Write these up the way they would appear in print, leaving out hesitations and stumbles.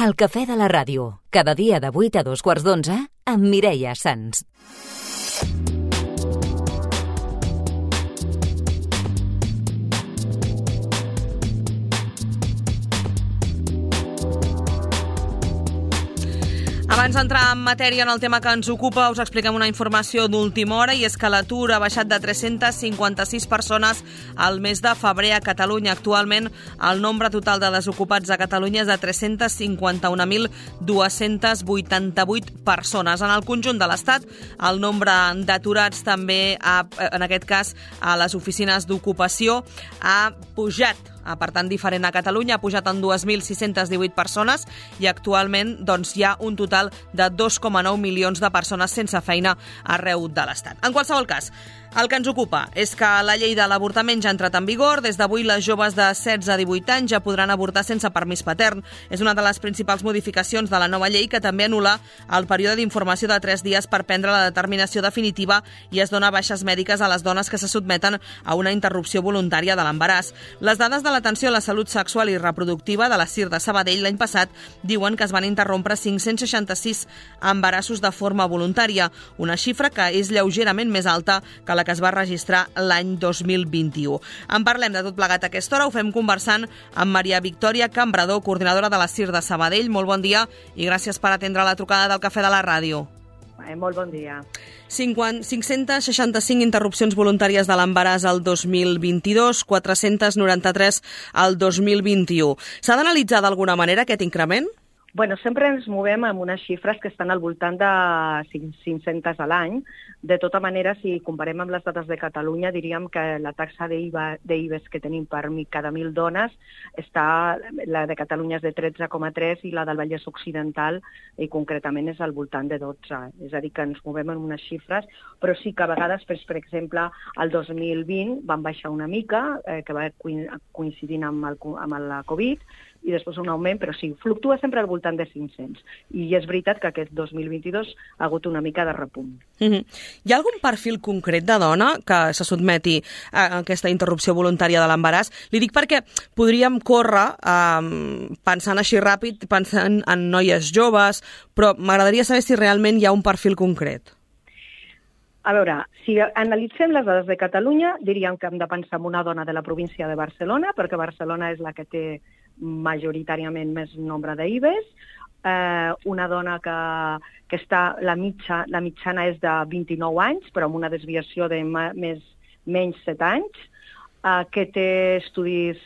El cafè de la ràdio, cada dia de 8 a 2:15 amb Mireia Sans. Abans d'entrar en matèria en el tema que ens ocupa, us expliquem una informació d'última hora, i és que l'atur ha baixat de 356 persones al mes de febrer a Catalunya. Actualment, el nombre total de desocupats a Catalunya és de 351.288 persones. En el conjunt de l'Estat, el nombre d'aturats també, en aquest cas, a les oficines d'ocupació, ha pujat. Per tant, diferent a Catalunya, ha pujat en 2.618 persones i actualment hi ha un total de 2,9 milions de persones sense feina arreu de l'Estat. En qualsevol cas, el que ens ocupa és que la llei de l'avortament ja ha entrat en vigor. Des d'avui, les joves de 16 a 18 anys ja podran avortar sense permís patern. És una de les principals modificacions de la nova llei, que també anul·la el període d'informació de 3 dies per prendre la determinació definitiva i es dona baixes mèdiques a les dones que se sotmeten a una interrupció voluntària de l'embaràs. Les dades de l'atenció a la salut sexual i reproductiva de la CIR de Sabadell l'any passat diuen que es van interrompre 566 embarassos de forma voluntària, una xifra que és lleugerament més alta que la que es va registrar l'any 2021. En parlem de tot plegat a aquesta hora. Ho fem conversant amb Maria Victòria Cambrador, coordinadora de la CIR de Sabadell. Molt bon dia i gràcies per atendre la trucada del Cafè de la Ràdio. Molt bon dia. 565 interrupcions voluntàries de l'embaràs al 2022, 493 al 2021. S'ha d'analitzar d'alguna manera aquest increment? Bueno, sempre ens movem amb unes xifres que estan al voltant de 500 a l'any. De tota manera, si comparem amb les dades de Catalunya, diríem que la taxa d'IVES que tenim per cada 1.000 dones, la de Catalunya és de 13,3 i la del Vallès Occidental, i concretament és al voltant de 12. És a dir, que ens movem en unes xifres, però sí que a vegades, per exemple, el 2020 van baixar una mica, que va coincidint amb la Covid, i després un augment, però sí, fluctua sempre al voltant de 500. I és veritat que aquest 2022 ha hagut una mica de repunt. Hi ha algun perfil concret de dona que se sotmeti a aquesta interrupció voluntària de l'embaràs? Li dic perquè podríem córrer pensant així ràpid, pensant en noies joves, però m'agradaria saber si realment hi ha un perfil concret. A veure, si analitzem les dades de Catalunya, diríem que hem de pensar en una dona de la província de Barcelona, perquè Barcelona és la que té majoritàriament més nombre d'IVES, una dona que està, la mitjana és de 29 anys, però amb una desviació de menys 7 anys, que té estudis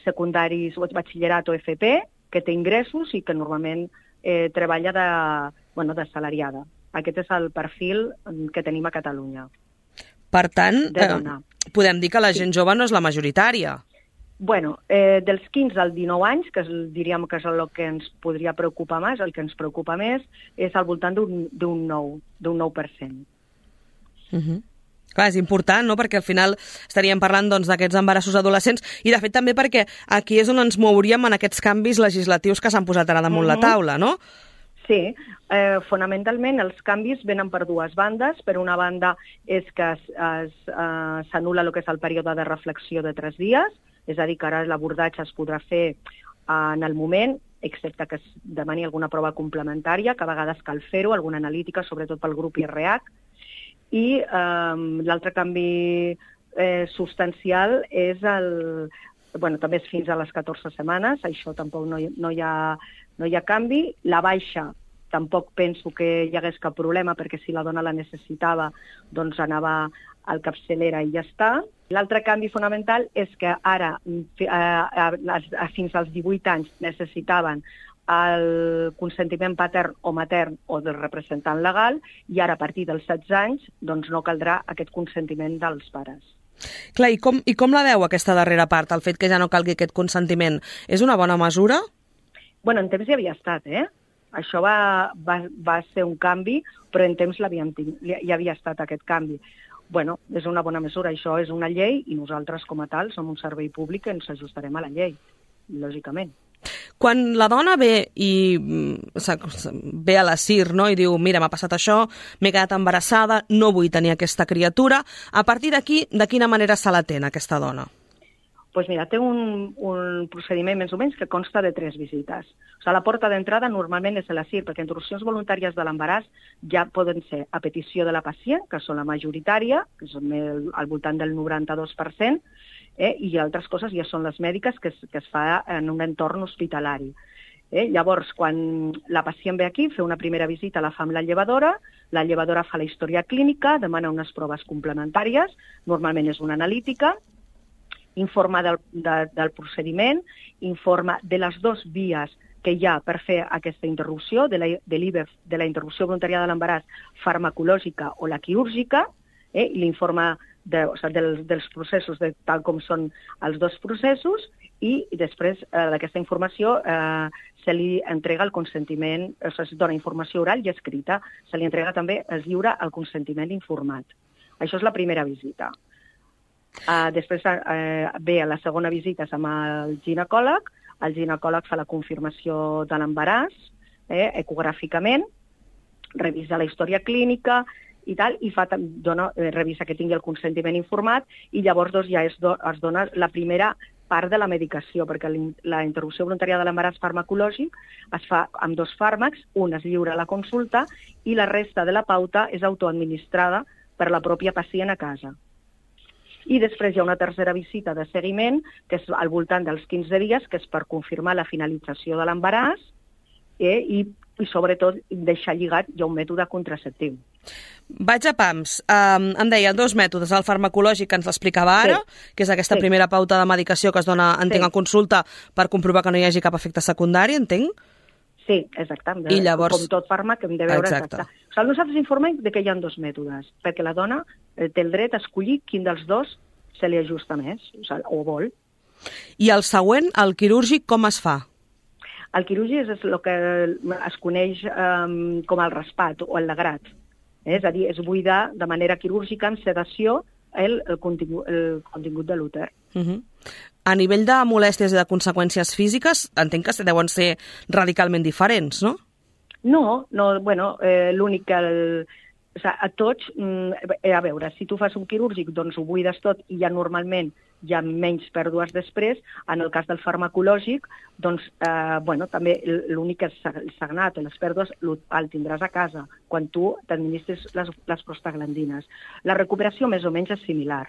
secundaris o batxillerat o FP, que té ingressos i que normalment treballa d'assalariada. Aquest és el perfil que tenim a Catalunya. Per tant, podem dir que la gent jove no és la majoritària. Bueno, dels 15 als 19 anys, que diríem que és el que ens podria preocupar més, el que ens preocupa més, és al voltant d'un 9%. Clar, és important, no?, perquè al final estaríem parlant d'aquests embarassos adolescents i, de fet, també perquè aquí és on ens mouríem en aquests canvis legislatius que s'han posat ara damunt la taula, no? Sí, fonamentalment els canvis venen per dues bandes. Per una banda és que s'anul·la el que és el període de reflexió de 3 dies, és a dir, que ara l'abordatge es podrà fer en el moment, excepte que es demani alguna prova complementària, que a vegades cal fer-ho, alguna analítica, sobretot pel grup IRH. I l'altre canvi substancial és també és fins a les 14 setmanes, això tampoc no hi ha canvi. La baixa tampoc penso que hi hagués cap problema, perquè si la dona la necessitava, doncs anava al capçalera i ja està. L'altre canvi fonamental és que ara, fins als 18 anys, necessitaven el consentiment patern o matern o del representant legal, i ara a partir dels 16 anys doncs no caldrà aquest consentiment dels pares. Clar, i com la veu aquesta darrera part, el fet que ja no calgui aquest consentiment? És una bona mesura? Bueno, en temps ja havia estat, Això va ser un canvi, però en temps ja havia estat aquest canvi. Bueno, és una bona mesura, això és una llei i nosaltres com a tal som un servei públic que ens ajustarem a la llei, lògicament. Quan la dona ve a la CIR, no?, i diu, mira, m'ha passat això, m'he quedat embarassada, no vull tenir aquesta criatura, a partir d'aquí, de quina manera se l'atén aquesta dona? Doncs mira, té un procediment més o menys que consta de 3 visites. O sigui, la porta d'entrada normalment és a la CIR, perquè interrupcions voluntàries de l'embaràs ja poden ser a petició de la pacient, que són la majoritària, que són al voltant del 92%, i altres coses ja són les mèdiques, que es fa en un entorn hospitalari. Llavors, quan la pacient ve aquí, fa una primera visita, la fa amb la llevadora fa la història clínica, demana unes proves complementàries, normalment és una analítica, informa del procediment, informa de les 2 vies que hi ha per fer aquesta interrupció, de l'IVEF, de la interrupció voluntària de l'embaràs farmacològica o la quirúrgica, i l'informa dels processos, tal com són els 2 processos, i després d'aquesta informació se li entrega el consentiment, es dona informació oral i escrita, se li entrega també, es lliura el consentiment informat. Això és la primera visita. Després ve a la segona visita amb el ginecòleg fa la confirmació de l'embaràs, ecogràficament, revisa la història clínica i tal, i revisa que tingui el consentiment informat, i llavors ja es dona la primera part de la medicació, perquè la interrupció voluntària de l'embaràs farmacològic es fa amb 2 fàrmacs, un es lliura a la consulta i la resta de la pauta és autoadministrada per la pròpia pacient a casa. I després hi ha una tercera visita de seguiment, que és al voltant dels 15 dies, que és per confirmar la finalització de l'embaràs i sobretot deixar lligat ja un mètode contraceptiu. Vaig a pams. Em deia 2 mètodes, el farmacològic que ens l'explicava ara, que és aquesta primera pauta de medicació que es dona, entenc, a consulta per comprovar que no hi hagi cap efecte secundari, entenc? Sí, exacte. I llavors... Com tot fàrmac hem de veure exacte. O sigui, nosaltres informem que hi ha 2 mètodes, perquè la dona té el dret a escollir quin dels 2 se li ajusta més, o vol. I el següent, el quirúrgic, com es fa? El quirúrgic és el que es coneix com el raspat o el lagrat. És a dir, és buidar de manera quirúrgica amb sedació el contingut de l'úter. A nivell de molèsties i de conseqüències físiques, entenc que deuen ser radicalment diferents, no? No, bueno, l'únic que... A tots, a veure, si tu fas un quirúrgic, doncs ho buides tot i ja normalment hi ha menys pèrdues després. En el cas del farmacològic, doncs, també l'únic que és el sagnat o les pèrdues el tindràs a casa quan tu t'administres les prostaglandines. La recuperació més o menys és similar.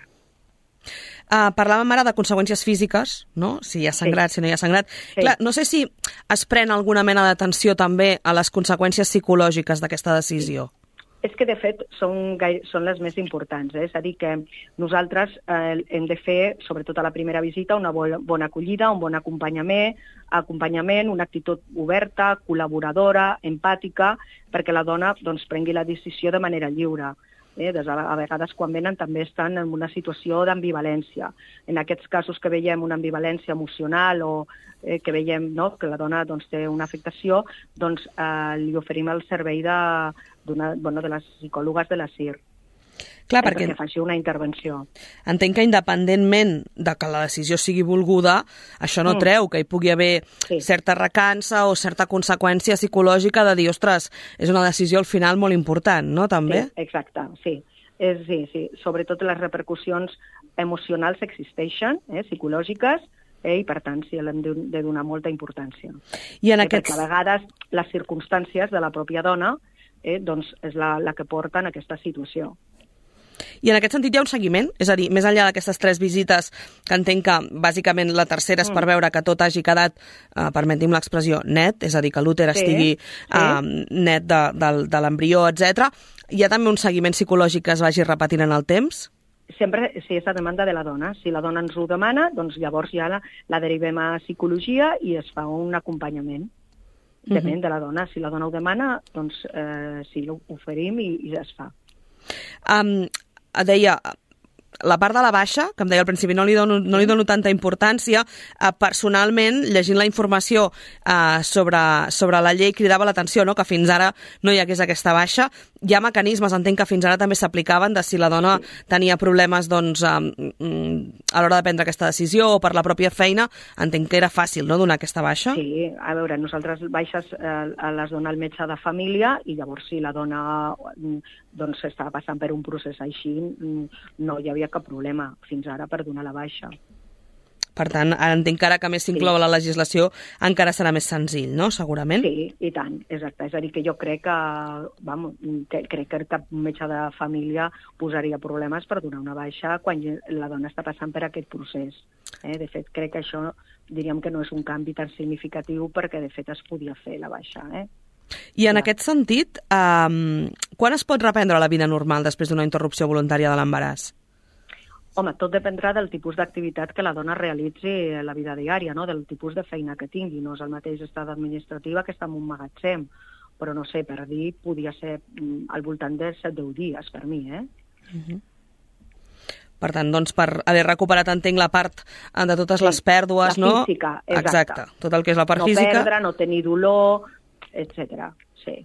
Parlàvem ara de conseqüències físiques, no? Si hi ha sangrat, si no hi ha sangrat. Clar, no sé si es pren alguna mena d'atenció també a les conseqüències psicològiques d'aquesta decisió. És que, de fet, són les més importants. És a dir, que nosaltres hem de fer, sobretot a la primera visita, una bona acollida, un bon acompanyament, una actitud oberta, col·laboradora, empàtica, perquè la dona prengui la decisió de manera lliure. A vegades, quan venen, també estan en una situació d'ambivalència. En aquests casos que veiem una ambivalència emocional o que veiem que la dona té una afectació, li oferim el servei de les psicòlogues de la CIR. Clar, perquè faci una intervenció. Entenc que independentment de que la decisió sigui volguda, això no treu que hi pugui haver certa recança o certa conseqüència psicològica de dir, ostres, és una decisió al final molt important, no, també? Sí, exacte, sí. Sí. Sobretot les repercussions emocionals existeixen, psicològiques, i per tant sí, l'hem de donar molta importància. Perquè a vegades les circumstàncies de la pròpia dona és la que porta en aquesta situació. I en aquest sentit hi ha un seguiment? És a dir, més enllà d'aquestes 3 visites, que entenc que bàsicament la tercera és per veure que tot hagi quedat, permetim l'expressió, net, és a dir, que l'úter estigui net de l'embrió, etc. Hi ha també un seguiment psicològic que es vagi repetint en el temps? Sempre, si és a demanda de la dona. Si la dona ens ho demana, doncs llavors ja la derivem a psicologia i es fa un acompanyament. Depèn de la dona. Si la dona ho demana, doncs sí, l'oferim i ja es fa. Deia, la part de la baixa, que em deia al principi, no li dono tanta importància. Personalment, llegint la informació sobre la llei, cridava l'atenció, no?, que fins ara no hi hagués aquesta baixa. Hi ha mecanismes, entenc que fins ara també s'aplicaven, de si la dona tenia problemes a l'hora de prendre aquesta decisió o per la pròpia feina. Entenc que era fàcil, no?, donar aquesta baixa. Sí, a veure, nosaltres baixes les dona el metge de família i llavors si la dona estava passant per un procés així, no hi havia cap problema fins ara per donar la baixa. Per tant, ara entenc que ara que més s'inclou a la legislació encara serà més senzill, no?, segurament? Sí, i tant, exacte. És a dir, que jo crec que cap metge de família posaria problemes per donar una baixa quan la dona està passant per aquest procés. De fet, crec que això diríem que no és un canvi tan significatiu perquè, de fet, es podia fer la baixa. I en aquest sentit, quan es pot reprendre la vida normal després d'una interrupció voluntària de l'embaràs? Home, tot dependrà del tipus d'activitat que la dona realitzi a la vida diària, no? Del tipus de feina que tingui. No és el mateix estat administrativa que està en un magatzem, però no sé, per dir, podia ser al voltant de 7-10 dies, per mi, Per tant, doncs, per haver recuperat, entenc, la part de totes les pèrdues, no? La física, exacte. Tot el que és la part física. No perdre, no tenir dolor, etc. Sí.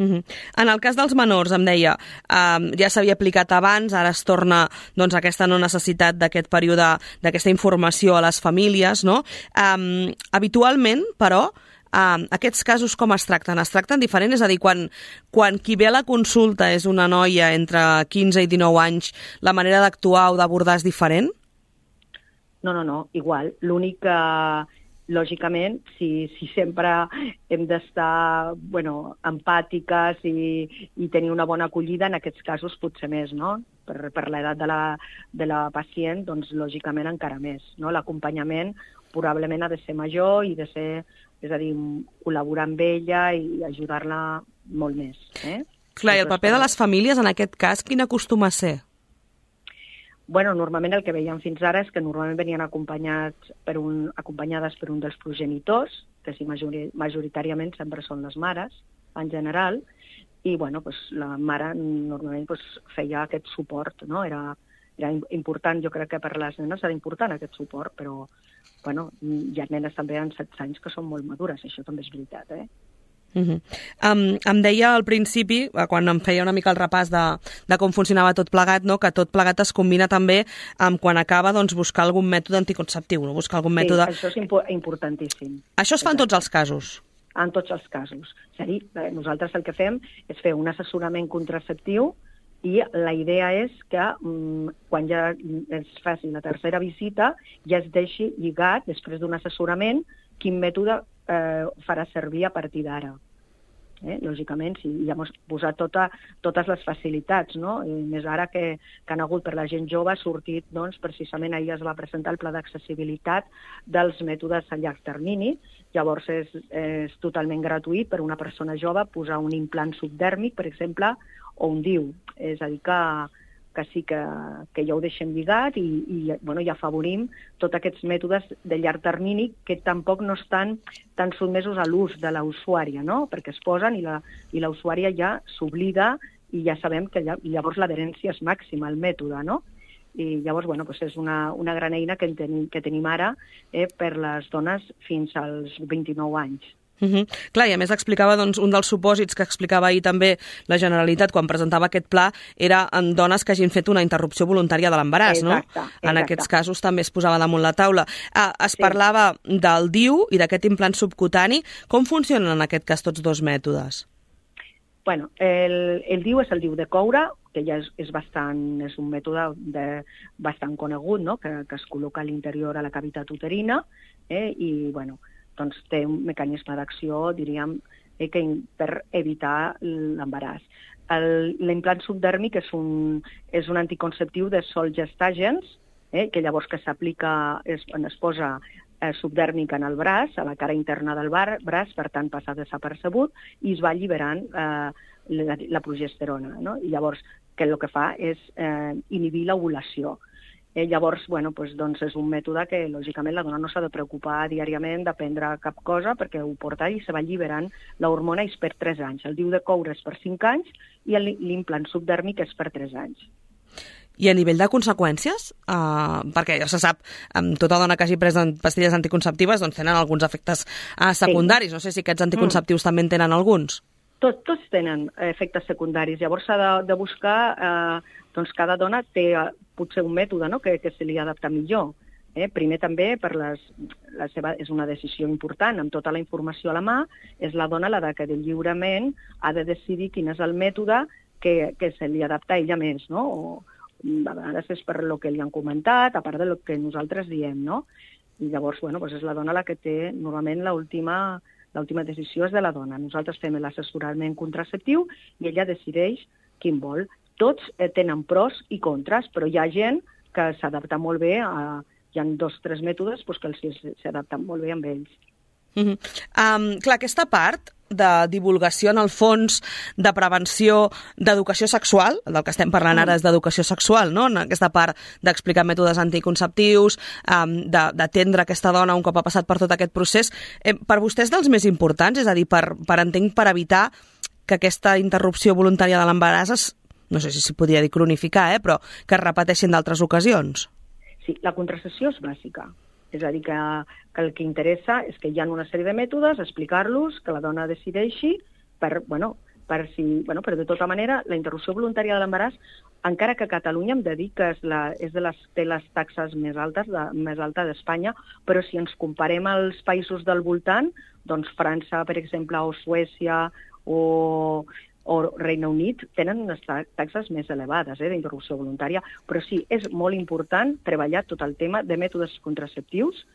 En el cas dels menors, em deia, ja s'havia aplicat abans, ara es torna doncs, aquesta no necessitat d'aquest període, d'aquesta informació a les famílies, no? Habitualment, però, aquests casos com es tracten? Es tracten diferent? És a dir, quan qui ve a la consulta és una noia entre 15 i 19 anys, la manera d'actuar o d'abordar és diferent? No, igual. L'únic que, lògicament, si sempre hem d'estar empàtiques i tenir una bona acollida, en aquests casos potser més, no? Per l'edat de la pacient, doncs lògicament encara més. No? L'acompanyament probablement ha de ser major i de ser, és a dir, col·laborar amb ella i ajudar-la molt més. Clar, i el paper de les famílies en aquest cas, quin acostuma a ser? Normalment el que veiem fins ara és que normalment venien acompanyades per un dels progenitors, que sí, majoritàriament sempre són les mares, en general, i la mare normalment feia aquest suport, no? Era important, jo crec que per les nenes era important aquest suport, però hi ha nenes també en 16 anys que són molt madures, això també és veritat, Em deia al principi, quan em feia una mica el repàs de com funcionava tot plegat, no? Que tot plegat es combina també amb quan acaba buscar algun mètode anticonceptiu, no? Buscar algun mètode... Sí, això és importantíssim. Això es fa en tots els casos? En tots els casos. És a dir, nosaltres el que fem és fer un assessorament contraceptiu i la idea és que quan ja es faci la tercera visita ja es deixi lligat, després d'un assessorament, quin mètode farà servir a partir d'ara. Lògicament, sí, ja hem posat totes les facilitats, no? I més ara que han hagut per la gent jove, ha sortit, precisament ahir es va presentar el pla d'accessibilitat dels mètodes a llarg termini. Llavors és totalment gratuït per a una persona jove posar un implant subdèrmic, per exemple, o un DIU. És a dir, que sí que ja ho deixem lligat i afavorim tots aquests mètodes de llarg termini que tampoc no estan tan sotmesos a l'ús de la usuària, no? Perquè es posen i la usuària ja s'oblida i ja sabem que llavors l'adherència és màxima al mètode, no? I llavors, és una gran eina que tenim ara per les dones fins als 29 anys. Clar, i a més explicava, un dels supòsits que explicava ahir també la Generalitat quan presentava aquest pla era en dones que hagin fet una interrupció voluntària de l'embaràs, no? Exacte. En aquests casos també es posava damunt la taula. Es parlava del DIU i d'aquest implant subcutani. Com funcionen en aquest cas tots dos mètodes? El DIU és el DIU de coure, que ja és un mètode bastant conegut, no? Que es col·loca a l'interior a la cavitat uterina i, té un mecanisme d'acció, diríem, per evitar l'embaràs. L'implant subdèrmic és un anticonceptiu de Solgestagens, que llavors que s'aplica, es posa subdèrmic en el braç, a la cara interna del braç, per tant passa desapercebut, i es va alliberant la progesterona, no? I llavors el que fa és inhibir l'ovulació. Llavors, és un mètode que, lògicament, la dona no s'ha de preocupar diàriament de prendre cap cosa perquè ho porta i se va alliberant l'hormona i és per 3 anys. El DIU de coure és per 5 anys i l'implant subdèrmic és per 3 anys. I a nivell de conseqüències? Perquè ja se sap, tota dona que hagi pres pastilles anticonceptives tenen alguns efectes secundaris. Sí. No sé si aquests anticonceptius també en tenen alguns. Tots tenen efectes secundaris. Llavors s'ha de buscar... cada dona té potser un mètode, no? que se li adapta millor. Primer també, és una decisió important, amb tota la informació a la mà, és la dona la que lliurement ha de decidir quin és el mètode que se li adapta a ella més, no? A vegades és per el que li han comentat, a part del que nosaltres diem, no? I llavors, és la dona la que té, normalment, l'última decisió és de la dona. Nosaltres fem l'assessorament contraceptiu i ella decideix quin vol. Tots tenen pros i contres, però hi ha gent que s'adapta molt bé hi ha 2 o 3 mètodes que s'adapten molt bé amb ells. Clar, aquesta part de divulgació, en el fons, de prevenció, d'educació sexual, del que estem parlant ara és d'educació sexual, no? En aquesta part d'explicar mètodes anticonceptius, d'atendre aquesta dona un cop ha passat per tot aquest procés, per vostè és dels més importants? És a dir, per evitar que aquesta interrupció voluntària de l'embaràs no sé si s'hi podria dir cronificar, però que es repeteixin d'altres ocasions. Sí, la contracepció és bàsica. És a dir, que el que interessa és que hi ha una sèrie de mètodes, explicar-los, que la dona decideixi, però de tota manera, la interrupció voluntària de l'embaràs, encara que a Catalunya hem de dir que té les taxes més altes d'Espanya, però si ens comparem als països del voltant, doncs França, per exemple, o Suècia, o Regne Unit tenen unes taxes més elevades d'interrupció voluntària, però sí, és molt important treballar tot el tema de mètodes contraceptius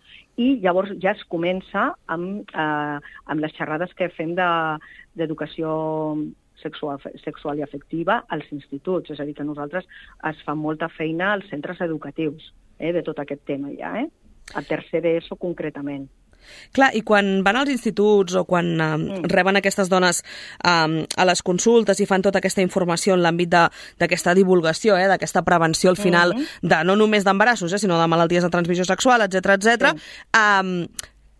i llavors ja es comença amb les xerrades que fem d'educació sexual i afectiva als instituts. És a dir, que nosaltres es fa molta feina als centres educatius de tot aquest tema ja, a tercer d'ESO concretament. Clar, i quan van als instituts o quan reben aquestes dones a les consultes i fan tota aquesta informació en l'àmbit d'aquesta divulgació, d'aquesta prevenció al final, no només d'embarassos, sinó de malalties de transmissió sexual, etc.,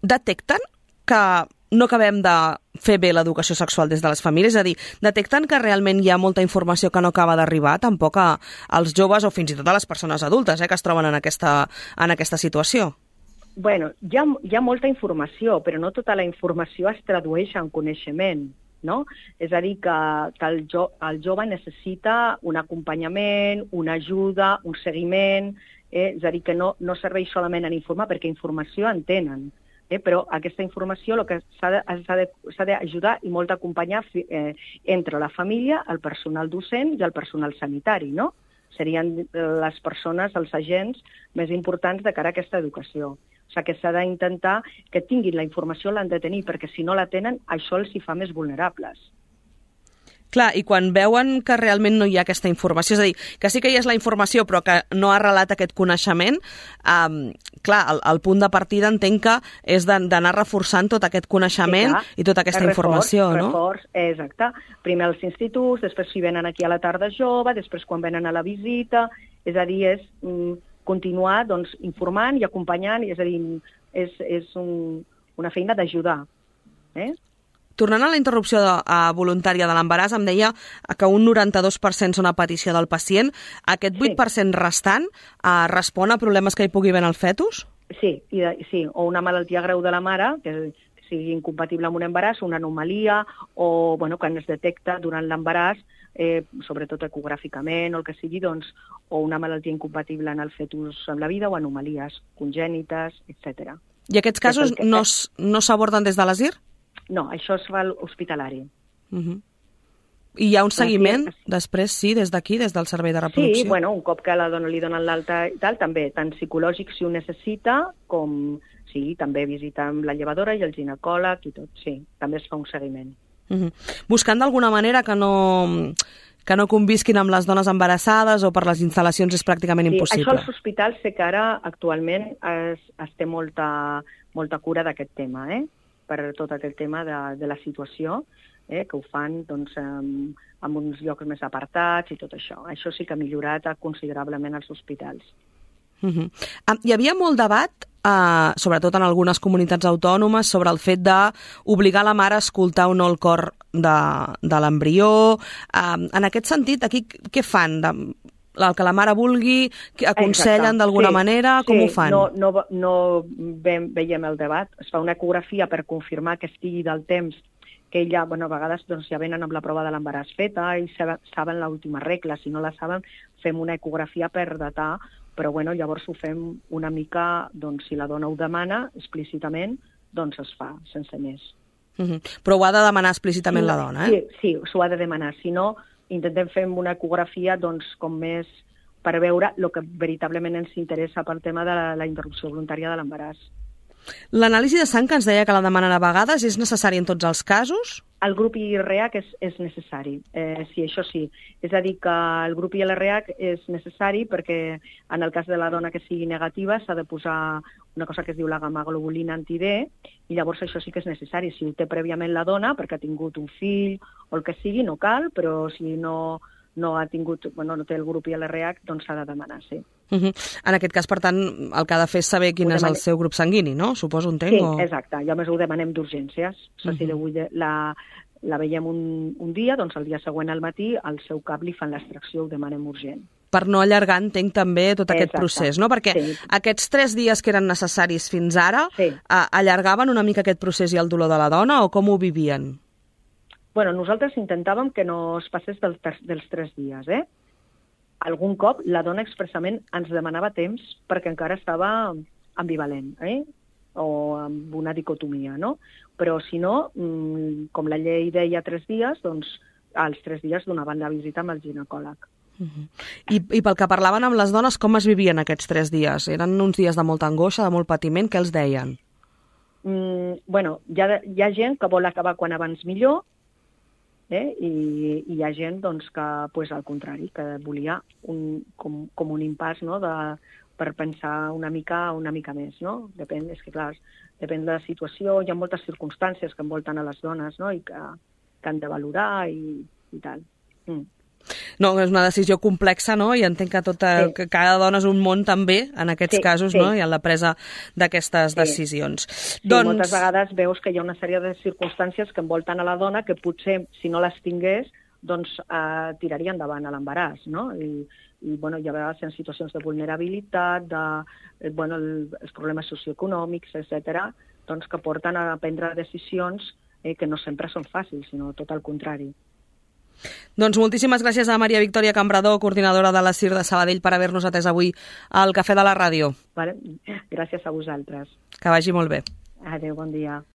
detecten que no acabem de fer bé l'educació sexual des de les famílies? És a dir, detecten que realment hi ha molta informació que no acaba d'arribar tampoc als joves o fins i tot a les persones adultes que es troben en aquesta situació? Bueno, hi ha molta informació, però no tota la informació es tradueix en coneixement, no? És a dir, que el jove necessita un acompanyament, una ajuda, un seguiment, és a dir, que no serveix solament en informar, perquè informació en tenen, però aquesta informació el que s'ha d'ajudar i molt d'acompanyar entre la família, el personal docent i el personal sanitari, no? Serien les persones, els agents més importants de cara a aquesta educació. O sigui que s'ha d'intentar que tinguin la informació, l'han de tenir, perquè si no la tenen, això els hi fa més vulnerables. Clar, i quan veuen que realment no hi ha aquesta informació, és a dir, que sí que hi és la informació però que no ha arrelat aquest coneixement, clar, el punt de partida entenc que és d'anar reforçant tot aquest coneixement i tota aquesta informació, no? Reforç, exacte. Primer als instituts, després si venen aquí a la tarda jove, després quan venen a la visita, és a dir, és continuar informant i acompanyant, és a dir, és una feina d'ajudar. Tornant a la interrupció voluntària de l'embaràs, em deia que un 92% són a petició del pacient. Aquest 8% restant respon a problemes que hi pugui haver en el fetus? Sí, o una malaltia greu de la mare, que sigui incompatible amb un embaràs, una anomalia, o que es detecta durant l'embaràs, sobretot ecogràficament o el que sigui, o una malaltia incompatible en el fetus amb la vida o anomalies congènites, etc. I aquests casos no s'aborden des de l'ASIR? No, això es fa hospitalari. I hi ha un seguiment després, sí, des d'aquí, des del servei de reproducció? Sí, un cop que a la dona li donen l'alta i tal, també, tant psicològic si ho necessita, com sí, també visita amb la llevadora i el ginecòleg i tot, sí, també es fa un seguiment. Buscant d'alguna manera que no convisquin amb les dones embarassades o per les instal·lacions és pràcticament impossible. Això als hospitals sé que ara actualment es té molta cura d'aquest tema, per tot aquest tema de la situació, que ho fan en uns llocs més apartats i tot això. Això sí que ha millorat considerablement als hospitals. Hi havia molt debat, sobretot en algunes comunitats autònomes, sobre el fet d'obligar la mare a escoltar o no el cor de l'embrió. En aquest sentit, aquí què fan? El que la mare vulgui, aconsellen d'alguna manera? Com ho fan? No veiem el debat. Es fa una ecografia per confirmar que estigui del temps que ella, a vegades ja venen amb la prova de l'embaràs feta i saben l'última regla. Si no la saben, fem una ecografia per datar, però llavors ho fem una mica, si la dona ho demana explícitament, es fa, sense més. Però ho ha de demanar explícitament la dona, Sí, s'ho ha de demanar. Si no, intentem fer una ecografia com més per veure el que veritablement ens interessa pel tema de la interrupció voluntària de l'embaràs. L'anàlisi de sang que ens deia que la demanen a vegades és necessari en tots els casos? El grup IRH és necessari, sí, això sí. És a dir, que el grup IRH és necessari perquè en el cas de la dona que sigui negativa s'ha de posar una cosa que es diu la gamma-globulina anti-D, i llavors això sí que és necessari. Si ho té prèviament la dona, perquè ha tingut un fill o el que sigui, no cal, però si no ha tingut, no té el grup IRH, doncs s'ha de demanar, sí. En aquest cas, per tant, el que ha de fer és saber quin és el seu grup sanguini, no? Suposo, entenc? Sí, exacte. I a més ho demanem d'urgències. Si la veiem un dia, doncs el dia següent al matí al seu cap li fan l'extracció, ho demanem urgent. Per no allargar, entenc també tot aquest procés, no? Perquè aquests 3 dies que eren necessaris fins ara allargaven una mica aquest procés i el dolor de la dona, o com ho vivien? Bueno, nosaltres intentàvem que no es passés dels 3 dies, Algun cop la dona expressament ens demanava temps perquè encara estava ambivalent, o amb una dicotomia, no? Però si no, com la llei deia 3 dies, doncs als 3 dies donaven la visita amb el ginecòleg. I pel que parlaven amb les dones, com es vivien aquests 3 dies? Eren uns dies de molta angoixa, de molt patiment? Què els deien? Bueno, hi ha gent que vol acabar quan abans millor, i hi ha gent doncs, que, al contrari, que volia com un impàs, no?, per pensar una mica més, no? Depèn de la situació, hi ha moltes circumstàncies que envolten a les dones, no?, i que han de valorar i tal. No, és una decisió complexa, no? I entenc que cada dona és un món també, en aquests casos, no? I en la presa d'aquestes decisions. Sí, moltes vegades veus que hi ha una sèrie de circumstàncies que envolten a la dona que potser, si no les tingués, doncs tiraria endavant a l'embaràs, no? I hi ha vegades en situacions de vulnerabilitat, els problemes socioeconòmics, etc., doncs que porten a prendre decisions que no sempre són fàcils, sinó tot el contrari. Doncs moltíssimes gràcies a Maria Victòria Cambrador, coordinadora de la CIR de Sabadell, per haver-nos atès avui al Cafè de la Ràdio. Gràcies a vosaltres. Que vagi molt bé. Adéu, bon dia.